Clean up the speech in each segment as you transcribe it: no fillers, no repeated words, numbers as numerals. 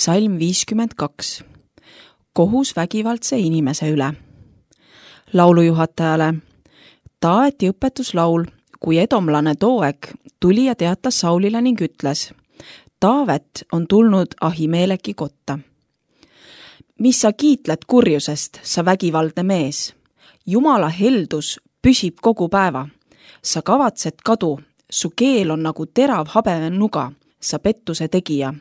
Psalm 52. Kohus vägivaldse inimese üle. Laulujuhatajale. Taaveti õpetuslaul, kui edomlane Doeg tuli ja teatas Saulile ning ütles: Taavet on tulnud Ahimeleki kotta. Mis sa kiitled kurjusest, sa vägivaldne mees? Jumala heldus püsib kogu päeva. Sa kavatsed kadu, su keel on nagu terav habenuga, sa pettuse tegija.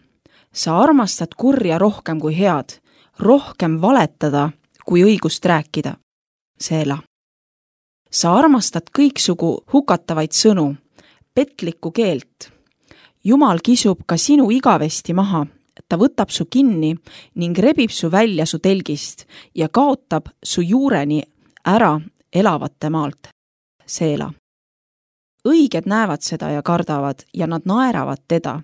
Sa armastad kurja rohkem kui head, rohkem valetada kui õigust rääkida. Seela. Sa armastad kõiksugu hukatavaid sõnu, petlikku keelt. Jumal kisub ka sinu igavesti maha, ta võtab su kinni ning rebib su välja su telgist ja kaotab su juureni ära elavate maalt. Seela. Õiged näevad seda ja kardavad ja nad naeravad teda.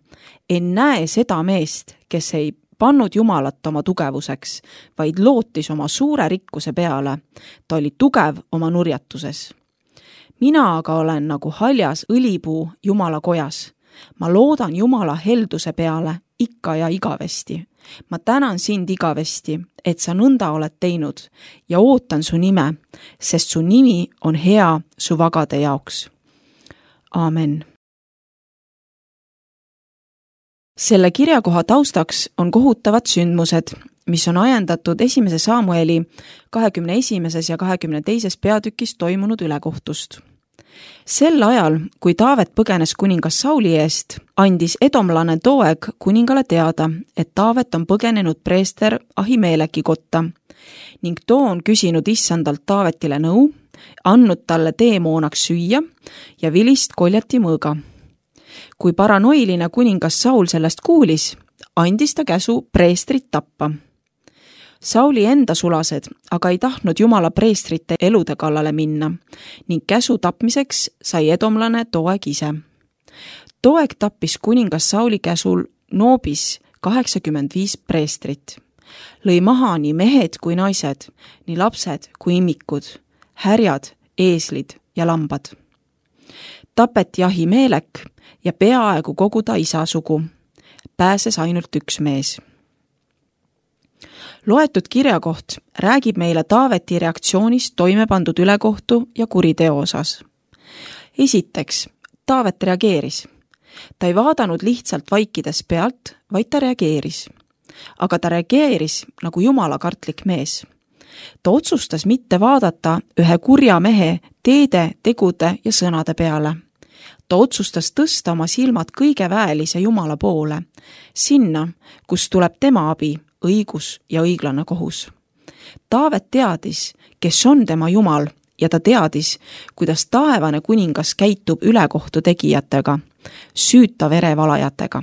En näe seda meest, kes ei pannud Jumalat oma tugevuseks, vaid lootis oma suure rikkuse peale. Ta oli tugev oma nurjatuses. Mina aga olen nagu haljas õlipuu Jumala kojas. Ma loodan Jumala helduse peale ikka ja igavesti. Ma tänan sind igavesti, et sa nõnda oled teinud ja ootan su nime, sest su nimi on hea su vagade jaoks. Aamen. Selle kirjakoha taustaks on kohutavad sündmused, mis on ajendatud 1. Samueli 21. ja 22. peatükis toimunud ülekohtust. Sel ajal, kui Taavet põgenes kuningas Sauli eest, andis edomlane Doeg kuningale teada, et Taavet on põgenenud preester Ahimeleki kotta ning too on küsinud issandalt Taavetile nõu, andnud talle teemoonaks süüa ja vilist koljati mõõga. Kui paranoiline kuningas Saul sellest kuulis, andis ta käsu preestrit tappa. Sauli enda sulased aga ei tahtnud Jumala preestrite elude kallale minna ning käsu tapmiseks sai edomlane Doeg ise. Doeg tappis kuningas Sauli käsul Noobis 85 preestrit. Lõi maha nii mehed kui naised, nii lapsed kui immikud, härjad, eeslid ja lambad. Tapeti Ahimelek ja peaaegu kogu ta isa sugu. Pääses ainult üks mees. Loetud kirjakoht räägib meile Taaveti reaktsioonist toime pandud ülekohtu ja kuriteo osas. Esiteks, Taavet reageeris. Ta ei vaadanud lihtsalt vaikides pealt, vaid ta reageeris. Aga ta reageeris nagu jumalakartlik mees. Ta otsustas mitte vaadata ühe kurja mehe teede, tegude ja sõnade peale. Ta otsustas tõsta oma silmad kõige väelise Jumala poole, sinna, kus tuleb tema abi, õigus ja õiglane kohus. Taavet teadis, kes on tema Jumal ja ta teadis, kuidas taevane kuningas käitub ülekohtu tegijatega, süüta verevalajatega.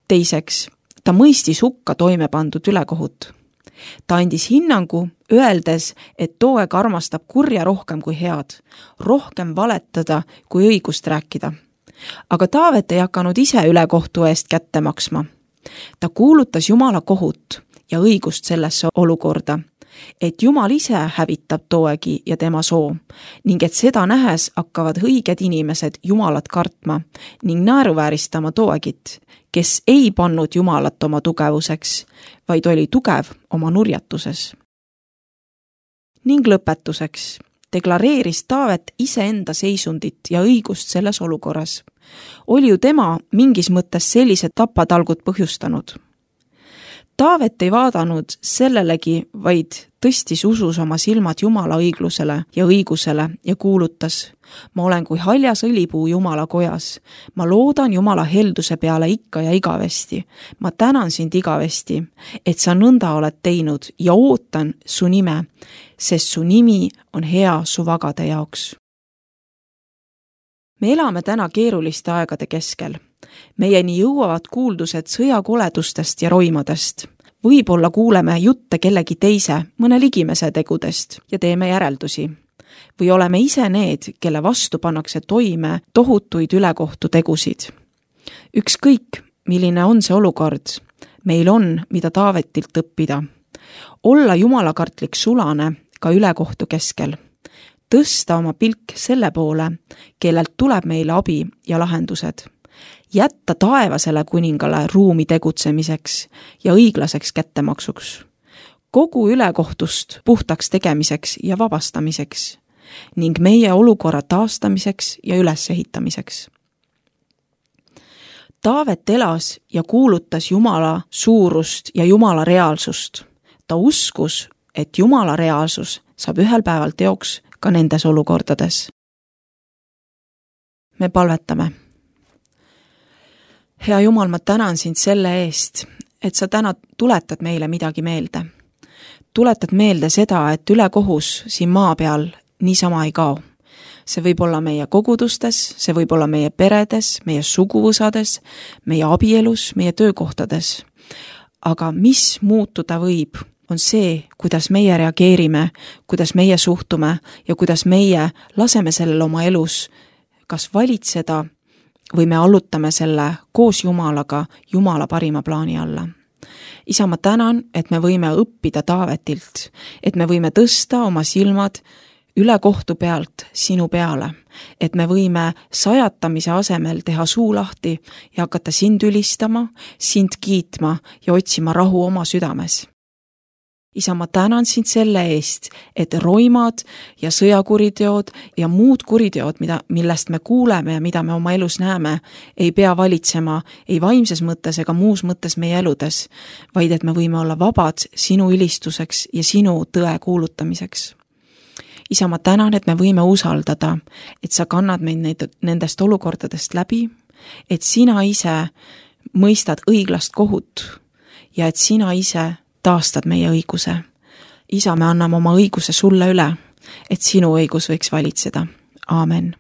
Teiseks, ta mõistis hukka toime pandud ülekohut. Ta andis hinnangu, öeldes, et Doeg armastab kurja rohkem kui head, rohkem valetada kui õigust rääkida. Aga Taavet ei hakanud ise ülekohtu eest kätte maksma. Ta kuulutas Jumala kohut ja õigust sellesse olukorda, et Jumal ise hävitab Doegi ja tema soo ning et seda nähes hakkavad õiged inimesed Jumalat kartma ning naeruvääristama Doegit, kes ei pannud Jumalat oma tugevuseks, vaid oli tugev oma nurjatuses. Ning lõpetuseks deklareeris Taavet iseenda seisundit ja õigust selles olukorras. Oli ju tema mingis mõttes sellised tapatalgud põhjustanud. Taavet ei vaadanud sellelegi, vaid tõstis usus oma silmad Jumala õiglusele ja õigusele ja kuulutas: Ma olen kui haljas õlipuu Jumala kojas. Ma loodan Jumala helduse peale ikka ja igavesti. Ma tänan sind igavesti, et sa nõnda oled teinud ja ootan su nime, sest su nimi on hea su vagade jaoks. Me elame täna keeruliste aegade keskel. Meieni jõuavad kuuldused sõjakoledustest ja roimadest. Võib-olla kuuleme jutte kellegi teise, mõne ligimese tegudest ja teeme järeldusi. Või oleme ise need, kelle vastu pannakse toime tohutuid ülekohtu tegusid. Ükskõik, milline on see olukord, meil on, mida Taavetilt õppida. Olla jumalakartlik sulane ka ülekohtu keskel. Tõsta oma pilk selle poole, kellelt tuleb meile abi ja lahendused. jätta taevasele kuningale ruumi tegutsemiseks ja õiglaseks kättemaksuks, kogu ülekohtust puhtaks tegemiseks ja vabastamiseks ning meie olukorra taastamiseks ja ülesehitamiseks. Taavet elas ja kuulutas Jumala suurust ja Jumala reaalsust. Ta uskus, et Jumala reaalsus saab ühel päeval teoks ka nendes olukordades. Me palvetame. Hea Jumal, ma tänan sind selle eest, et sa täna tuletad meile midagi meelde. Tuletad meelde seda, et ülekohus siin maa peal niisama ei kao. See võib olla meie kogudustes, see võib olla meie peredes, meie suguvõsades, meie abielus, meie töökohtades. Aga mis muutuda võib, on see, kuidas meie reageerime, kuidas meie suhtume ja kuidas meie laseme sellel oma elus kas valitseda või me allutame selle koos Jumalaga Jumala parima plaani alla. Isa, ma tänan, et me võime õppida Taavetilt, et me võime tõsta oma silmad üle kohtu pealt sinu peale, et me võime sajatamise asemel teha suu lahti ja hakata sind ülistama, sind kiitma ja otsima rahu oma südames. Isa, ma tänan sind selle eest, et roimad ja sõjakuriteod ja muud kuriteod, millest me kuuleme ja mida me oma elus näeme, ei pea valitsema ei vaimses mõttes ega muus mõttes meie eludes, vaid et me võime olla vabad sinu ülistuseks ja sinu tõe kuulutamiseks. Isa, ma tänan, et me võime usaldada, et sa kannad meid nendest olukordadest läbi, et sina ise mõistad õiglast kohut ja et sina ise taastad meie õiguse. Isa, me anname oma õiguse sulle üle, et sinu õigus võiks valitseda. Aamen.